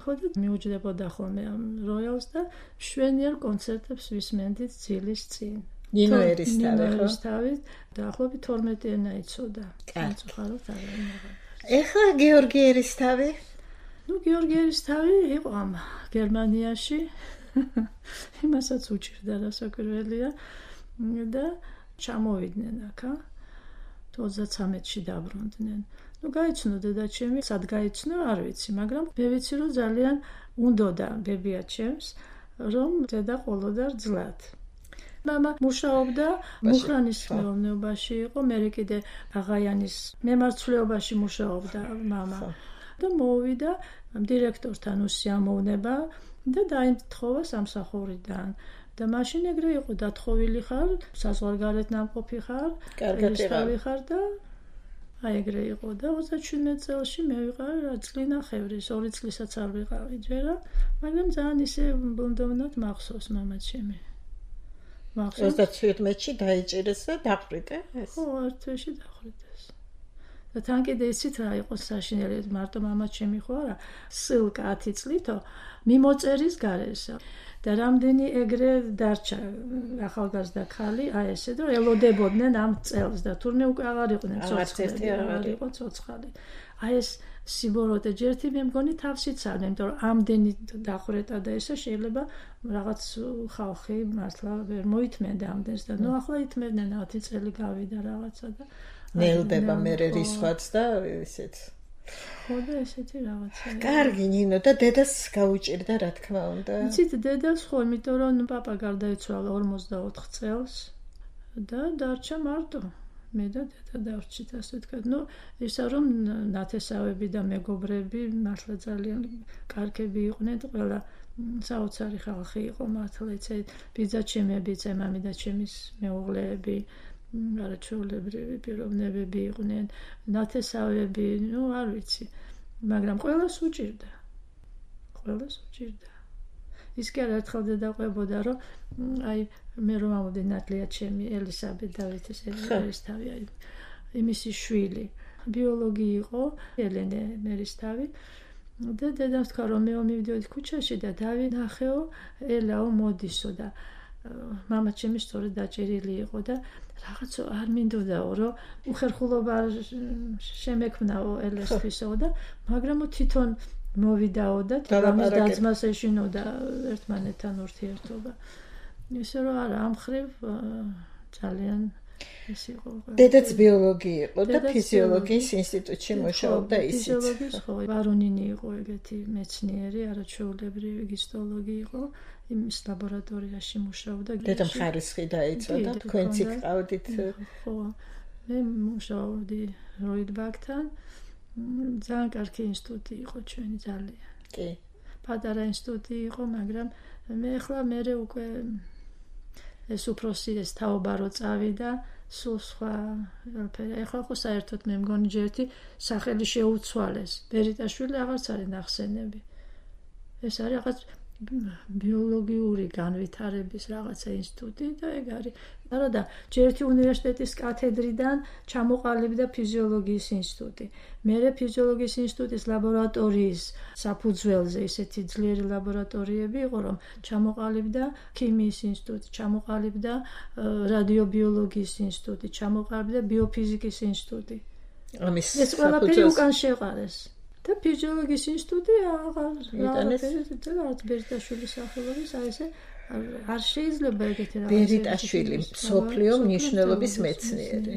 ხო და მიუჯდებოდა ხოლმე ამ როიალს და შვენიერ კონცერტებს ვისმენდით ძილის წინ. ნინო ერისთავი ხო? ერისთავი დაახლოებით თორმეტი ენა იცოდა. მწუხაროდ არ იმაღლა. ეხლა გიორგი ერისთავი ნუ გიორგი ერისთავი იყო ამ გერმანიაში. იმასაც უჭირდა რასაკვირველია და ჩამოვიდნენ აქა. ოცდაცამეტში დაბრუნდნენ. ნუ გაიცნო დედა ჩემი, სად გაიცნო არ ვიცი, მაგრამ მე ვიცი რომ ძალიან უნდოდა ბებია ჩემს რომ დედა ყოლოდა ძლად. მამა მუშაობდა მუხრანის მეურნეობაში იყო, მე კიდე აღაიანის მემარცვლეობაში მუშაობდა მამა. და მოვიდა დირექტორთან უსიამოვნება და დაითხოვა სამსახურიდან. და მაშინ ეგრე იყო დათხოვილი ხარ, საზღვარგარეთ ნამყოფი ხარ, ერისთავი ხარ და აი ეგრე იყო და ოცდაშვიდმეტ წელში მე ვიყავი რა წლინა ხევრის, ორი წლისაც არ ვიყავი ჯერა, მაგრამ ძალიან ისე ბუნდოვნად მახსოვს მამაჩემი. მახსოვს ოცდაშვიდმეტში დაიჭირეს და დახრიტე ეს. ხო, ერთ თვეში დახრიტეს. და თან კიდე იცით რა იყო საშინელი, მარტო მამაჩემი ხო არა, სილკა ათი წლითო მიმოწერის გარეშე. და რამდენი ეგრე დარჩა ახალგაზრდა ქალი, აი ესე და ელოდებოდნენ ამ წელს და თურმე უკვე აღარ იყვნენ ცოცხალი, აღარ იყო ცოცხალი. აი ეს სიბოროტე ჯერთი მე მგონი თავშიც არ, იმიტომ რომ ამდენი დახვრეტა და ესე შეიძლება რაღაც ხალხი მართლა ვერ მოითმენდა ამდენს და ნუ ახლა ითმევდნენ ათი წელი გავიდა რაღაცა და ნელდება მე რისხვაც და ისეთ ხო და ესეთი რაღაცა. კარგი ნინო და დედას გაუჭირდა რა თქმა უნდა. იცით დედას ხო, იმიტომ რომ პაპა გარდაიცვალა ორმოცდაოთხ წელს და დარჩა მარტო. მე და დედა დავრჩით ასე ვთქვათ. ნუ ისა რომ ნათესავები და მეგობრები მართლა ძალიან კარგები იყვნენ, ყველა საოცარი ხალხი იყო მართლა იცით. ბიძაჩემები, წემამი და ჩემის მეუღლეები არაჩვეულებრივი პიროვნებები იყვნენ, ნათესავები, ნუ არ ვიცი, მაგრამ ყველას უჭირდა. ყველას უჭირდა. ის კი არ ერთხელ დედაყვებოდა, რომ აი მე რომ ამოდი ნატლია ჩემი ელისაბედ დავითის ერისთავი, აი იმისი შვილი, ბიოლოგი იყო, ელენე მერისთავი. და დედამ თქვა რომ მე მივიდიოდი ქუჩაში და დავინახეო ელაო მოდისო და მამაჩემი სწორედ დაჭერილი იყო და რაღაცა არ მინდოდაო რომ უხერხულობა შემექმნაო ელესთვისო და მაგრამ თვითონ მოვიდაო და თამის დაძმას ეშინოდა ერთმანეთთან ურთიერთობა. ისე რომ არა ამ ხრივ ძალიან ეს იყო. დედაც ბიოლოგი იყო და ფიზიოლოგიის ინსტიტუტში მუშაობდა ისიც. ფიზიოლოგიის ხო, ვარონინი იყო ეგეთი მეცნიერი, არაჩვეულებრივი ჰისტოლოგი იყო. იმის ლაბორატორიაში მუშაობდა. დედამ ხარისხი დაიცვა და თქვენც იყავდით. ხო. მე მუშაობდი როიდბაქთან. ძალიან კარგი ინსტიტუტი იყო ჩვენი ძალიან. კი. პატარა ინსტიტუტი იყო, მაგრამ მე ახლა მე უკვე ეს უფროსი ეს თაობა რო წავიდა, სულ სხვა ყველაფერი. ახლა ხო საერთოდ მე მგონი ჯერთი სახელი შეუცვალეს. ბერიტაშვილი აღარც არის ნახსენები. ეს არის რაღაც ბიოლოგიური განვითარების რაღაცა ინსტიტუტი და ეგ არის. არა და ჯერთი უნივერსიტეტის კათედრიდან ჩამოყალიბდა ფიზიოლოგიის ინსტიტუტი. მერე ფიზიოლოგიის ინსტიტუტის ლაბორატორიის საფუძველზე ისეთი ძლიერი ლაბორატორიები იყო, რომ ჩამოყალიბდა ქიმიის ინსტიტუტი, ჩამოყალიბდა რადიობიოლოგიის ინსტიტუტი, ჩამოყალიბდა ბიოფიზიკის ინსტიტუტი. ამის ეს ყველაფერი უკან შეყარეს. და ფიზიოლოგიის ინსტიტუტი აღარ რაღაც ბერიტაშვილის სახელობის აი ესე არ შეიძლება ეგეთი რაღაც. ბერიტაშვილი მსოფლიო მნიშვნელობის მეცნიერი.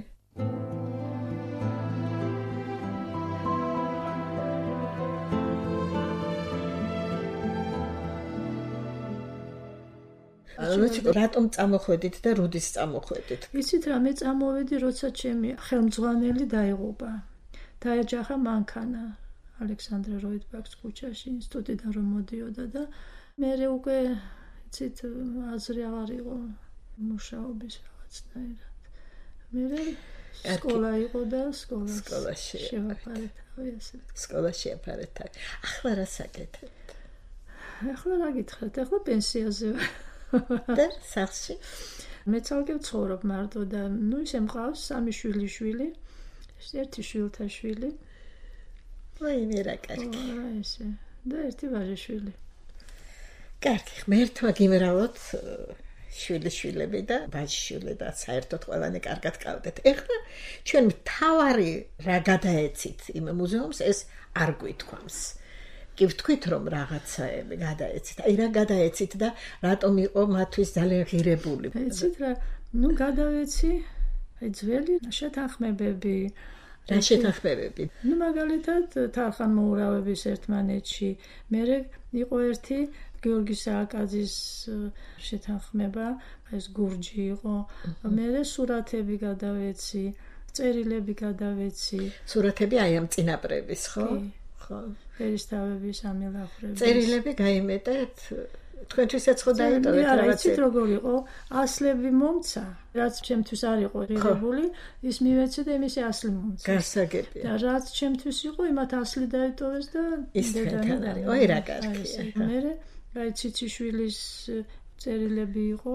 რატომ წამოხვედით და როდის წამოხვედით? იცით რა, მე წამოვედი, როცა ჩემი ხელმძღვანელი დაიღუპა. დაეჯახა მანქანა ალექსანდრე როიდბაქს ქუჩაში ინსტიტუტიდან რომ მოდიოდა და მე უკვე იცით აზრი აღარ იყო მუშაობის რაღაცნაირად. მე სკოლა იყო და სკოლა სკოლაში შევაფარებდი ესე. სკოლაში აფარებდი. ახლა რა საკეთებთ? ახლა რა გითხრათ? ახლა პენსიაზე ვარ. და სახში მე ცალკე ვცხოვრობ მარტო და ნუ ისე მყავს სამი შვილი შვილი, ერთი შვილთა შვილი. აი მე რა კარგი. აი ესე. და ერთი ვაჟიშვილი. კარგი, ღმერთმა გიმრავოთ შვილიშვილები და ვაჟიშვილები და საერთოდ ყველანი კარგად ყავდეთ. ეხლა ჩვენ მთავარი რა გადაეცით იმ მუზეუმს ეს არ გვითქვამს. კი ვთქვით რომ რაღაცაები გადაეცით. აი რა გადაეცით და რატომ იყო მათთვის ძალიან ღირებული. ეცით რა, ნუ გადავეცი აი ძველი შეთანხმებები. რა შეთანხმებები? ნუ მაგალითად თანხმოურავების ერთმანეთში. მერე იყო ერთი გიორგი სააკაძის შეთანხმება, ეს გურჯი იყო. მერე სურათები გადავეცი, წერილები გადავეცი. სურათები აი ამ წინაპრების, ხო? ხო. ერისთავების ამილახრების. წერილები გაიმეტეთ? თქვენთვისაც ხო დაიტოვეთ რაღაცა? არა, იცით როგორ იყო? ასლები მომცა, რაც ჩემთვის არ იყო ღირებული, ის მივეცე და იმისი ასლი მომცა. გასაგებია. და რაც ჩემთვის იყო, იმათ ასლი დაიტოვეს და ის თქვენთან არის. ой, რა კარგია. მე აი ციციშვილის წერილები იყო,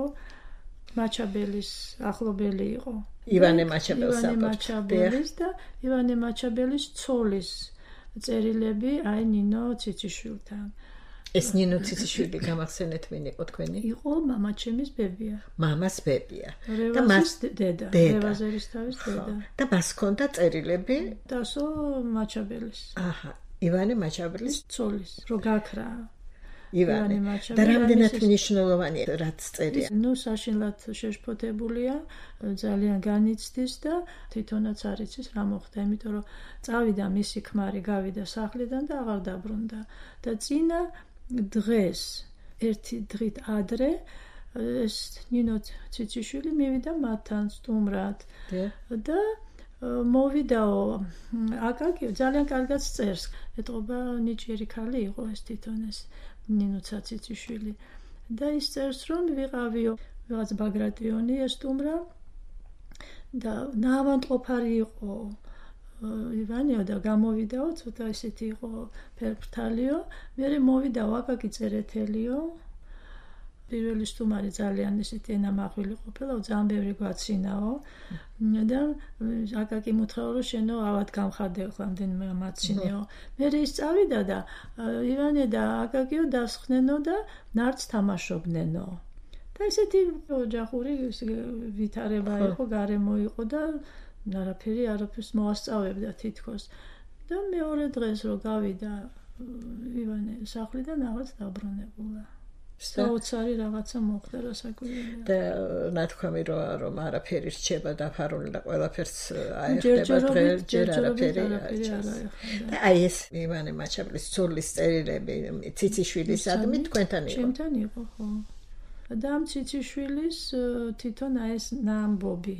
მაჩაბელის ახლობელი იყო. ივანე მაჩაბელის ივანე მაჩაბელის და ივანე მაჩაბელის ცოლის წერილები აი ნინო ციციშვილთან. ეს ნინო ციციშვილი გამახსენეთ ვინ იყო თქვენი? იყო მამა ჩემის ბებია. მამას ბებია. და მას დედა, რევაზერის თავის დედა. და მას ჰქონდა წერილები დასო მაჩაბელის. აჰა, ივანე მაჩაბელის ცოლის, რო გაქრა. ივანე და რამდენად მნიშვნელოვანია რაც წერია. ნუ საშინლად შეშფოთებულია, ძალიან განიცდის და თვითონაც არ იცის რა მოხდა, იმიტომ რომ წავიდა მისი ქმარი, გავიდა სახლიდან და აღარ დაბრუნდა. და წინა დღეს ერთი დღით ადრე ეს ნინო ციციშვილი მივიდა მათთან სტუმრად და მოვიდაო აკაკი ძალიან კარგად წერს. ეტყობა ნიჭიერი ქალი იყო ეს თვითონ ეს ნინო ციციშვილი და ის წერს რომ ვიყავიო რაღაც ბაგრატიონი ეს სტუმრა და ნავანდყოფარი იყო ივანეო და გამოვიდაო ცოტა ისეთი იყო ფერფრთალიო მე მოვიდაო აკაკი წერეთელიო პირველი სტუმარი ძალიან ისეთი ენამახვილი ყოფილა ძალიან ბევრი გვაცინაო და აკაკი მუთხრა რომ შენო ავად გამხადეო რამდენიმე მაცინეო მე ის წავიდა და ივანე და აკაკიო დასხნენო და ნარდს თამაშობნენო და ისეთი ოჯახური ვითარება იყო გარემო იყო და არაფერი არაფერს მოასწავებდა თითქოს და მეორე დღეს რო გავიდა ივანე სახლიდან აღარც დაბრუნებულა საოცარი რაღაცა მოხდა რასაკვირველია და ნათქვამი რომ არაფერი რჩება დაფარული და ყველაფერს აიხდება დღეს ჯერ არაფერი და აი ეს ივანე მაჩაბლის ცოლის წერილები ციციშვილისადმი თქვენთან იყო ჩემთან იყო ხო და ამ ციციშვილის თვითონ აი ეს ნამბობი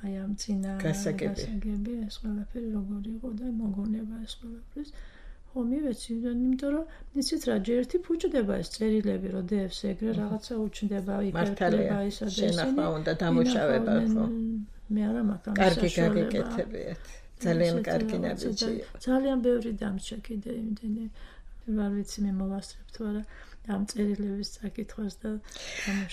აი ამ წინა გასაგები ეს ყველაფერი როგორი იყო და მოგონება ეს ყველაფრის ხო მივეცი იმიტომ რომ იცით რა ჯერ ერთი ფუჭდება ეს წერილები რომ დევს ეგრე რაღაცა უჩნდება იფერტლება ისა და შენახვა უნდა დამუშავება ხო მე არა მაგ ამას კარგი გაგეკეთებიათ ძალიან კარგი ნაბიჯი ძალიან ბევრი დამჭა კიდე იმდენი ვარ ვიცი მე მოვასწრებ თუ არა ამ წერილების წაკითხვას და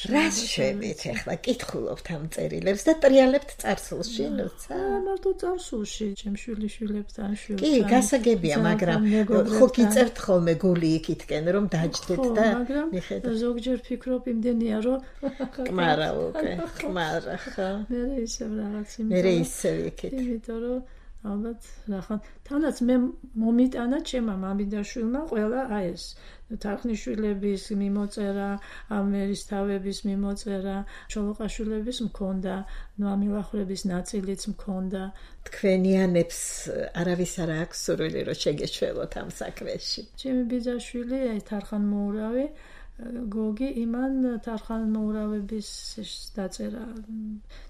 რას შევით ახლა კითხულობთ ამ წერილებს და ტრიალებთ წარსულში ნუცა მარტო წარსულში ჩემ შვილიშვილებთან შვილთან კი გასაგებია მაგრამ ხო გიწევთ ხოლმე გული იქითკენ რომ დაჯდეთ და მიხედავთ ზოგჯერ ფიქრობ იმდენია რომ კმარა უკვე კმარა ხო მე ისევ რაღაც მე ისევ იქით იმიტომ რომ ალბათ ნახან თანაც მე მომიტანა ჩემმა მამიდაშვილმა ყველა აი ეს თარხნიშვილების მიმოწერა ამერისთავების მიმოწერა ჩოლოყაშვილების მქონდა ნუ ამილახრების ნაწილიც მქონდა თქვენიანებს არავის არ აქვს სურვილი რომ შეგეშველოთ ამ საქმეში ჩემი ბიძაშვილი აი თარხანმოურავი გოგი იმან თარხანმოურავების დაწერა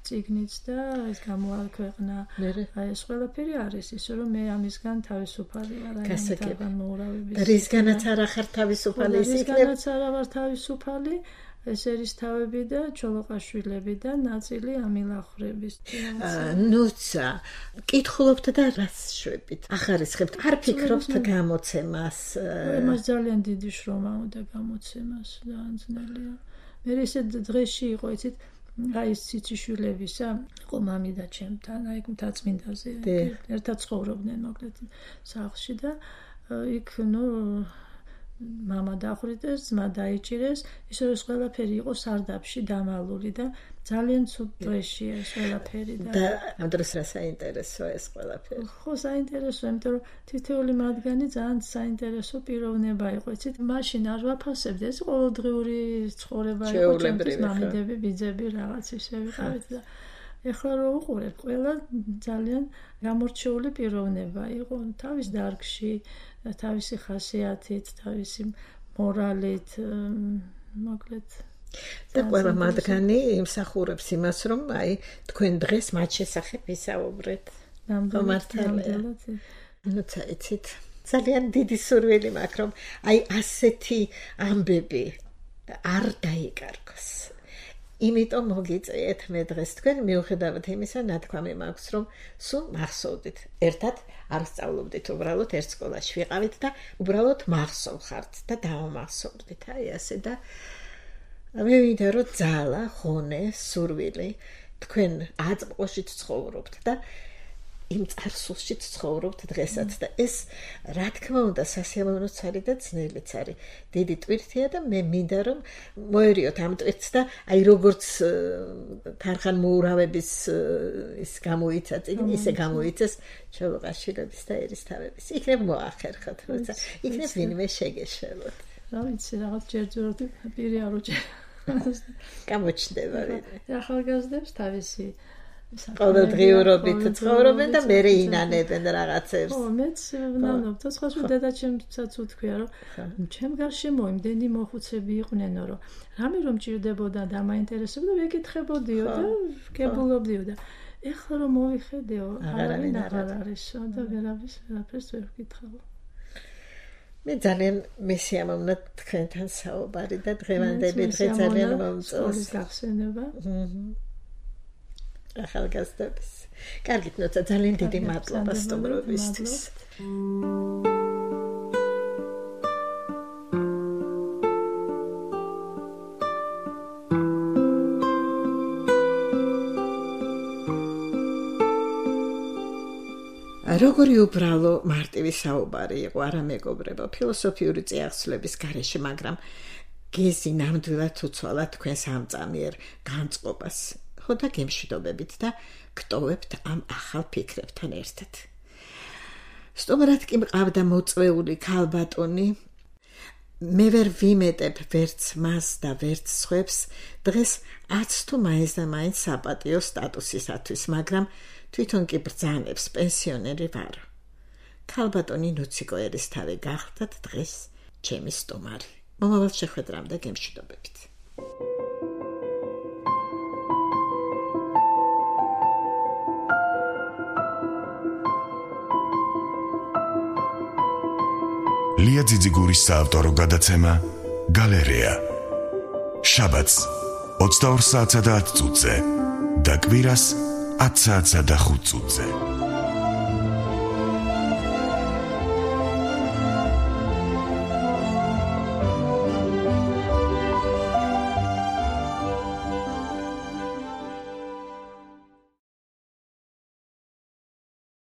წიგნიც და ეს გამოაქვეყნა აი ეს ყველაფერი არის ისე რომ მე ამისგან თავისუფალი ვარ აი თარხანმოურავების და რისგანაც არ ახარ თავისუფალი ის იქნებ რისგანაც არ ვარ თავისუფალი ეს ერისთავები და ჩოლოყაშვილები და ნაწილი ამილახრების ნუცა კითხულობთ და რას შვებით ახარისხებთ არ ფიქრობთ გამოცემას მას ძალიან დიდი შრომა უნდა გამოცემას ძალიან ძნელია მე ესე დღეში იყო იცით აი ეს ციციშვილებისა იყო მამი და ჩემთან აი მთაწმინდაზე ერთად ცხოვრობდნენ მოკლედ სახლში და იქ ნუ მამა დახრიტეს, ძმა დაიჭირეს, ისე რომ ყველაფერი იყო სარდაფში დამალული და ძალიან ცუდ დღეში ეს ყველაფერი და და ამ დროს რა საინტერესოა ეს ყველაფერი? ხო, საინტერესოა, იმიტომ რომ თითოეული მათგანი ძალიან საინტერესო პიროვნება იყო. იცით, მაშინ არ ვაფასებდი, ეს ყოველდღიური ცხოვრება იყო, ჩემთვის მამიდები, ბიძები რაღაც ისე ვიყავით და ეხლა რო უყურებ, ყველა ძალიან გამორჩეული პიროვნება იყო თავის დარგში თავისი ხასიათით, თავისი მორალით, მოკლედ და ყველა მათგანი იმსახურებს იმას, რომ აი თქვენ დღეს მათ შესახებ ვისაუბრეთ. ნამდვილად. ნუ წაიცით. ძალიან დიდი სურვილი მაქვს, რომ აი ასეთი ამბები არ დაიკარგოს. იმიტომ მოგიწიეთ მე დღეს თქვენ მიუხედავად იმისა, ნათქვამი მაქვს, რომ სულ მახსოვდით. ერთად არ სწავლობდით, უბრალოდ ერთ სკოლაში ვიყავით და უბრალოდ მახსოვხართ და დავამახსოვრდით. აი ასე და მე ვინდა რომ ძალა, ხონე, სურვილი თქვენ აწმყოშიც ცხოვრობთ და იმ წარსულშიც ცხოვრობთ დღესაც და ეს რა თქმა უნდა სასიამოვნოც არის და ძნელიც არის. დიდი ტვირთია და მე მინდა რომ მოერიოთ ამ ტვირთს და აი როგორც თანხან მოურავების ის გამოიცა წიგნი ისე გამოიცეს ჩოლოყაშვილების და ერისთავების. იქნებ მოახერხოთ, როცა იქნებ ვინმე შეგეშველოთ. რა ვიცი, რაღაც ჯერჯერობით პირი არ უჭერს. გამოჩნდება ვინმე. ახალგაზრდებს თავისი ყოველდღიურობით ცხოვრობენ და მერე ინანებენ რაღაცებს. ხო, მეც ვნამნობ, და სხვა სხვა დედაჩემსაც უთქვია, რომ ჩემ გარშემო იმდენი მოხუცები იყვნენ, რომ რამე რომ ჭირდებოდა და მაინტერესებდა, ვეკითხებოდიო და ვგებულობდიო და ეხლა რომ მოვიხედეო, არავინ აღარ არისო და ვერავის ვერაფერს ვერ ვკითხავ. მე ძალიან მესიამოვნად თქვენთან საუბარი და დღევანდელი დღე ძალიან მომწონს. გახსენება. ახალგაზრდების. კარგით, ნოცა ძალიან დიდი მადლობა სტუმრობისთვის. როგორი უბრალო მარტივი საუბარი იყო, არა მეგობრებო, ფილოსოფიური წიაღსვლების გარეშე, მაგრამ გეზი ნამდვილად უცვალა თქვენს ამწამიერ განწყობას. ხო და გემშვიდობებით და გტოვებთ ამ ახალ ფიქრებთან ერთად. სტუმრად კი მყავდა მოწვეული ქალბატონი. მე ვერ ვიმეტებ ვერც მას და ვერც სხვებს დღეს აც თუ მაინც და მაინც საპატიო სტატუსისათვის, მაგრამ თვითონ კი ბრძანებს პენსიონერი ვარ. ქალბატონი ნუციკო ერისთავი გახლდათ დღეს ჩემი სტუმარი. მომავალ შეხვედრამდე გემშვიდობებით. ლია ძიძიგურის საავტორო გადაცემა გალერეა. შაბათს ოცდაორ საათსა და ათ წუთზე და კვირას ათ საათსა და ხუთ წუთზე.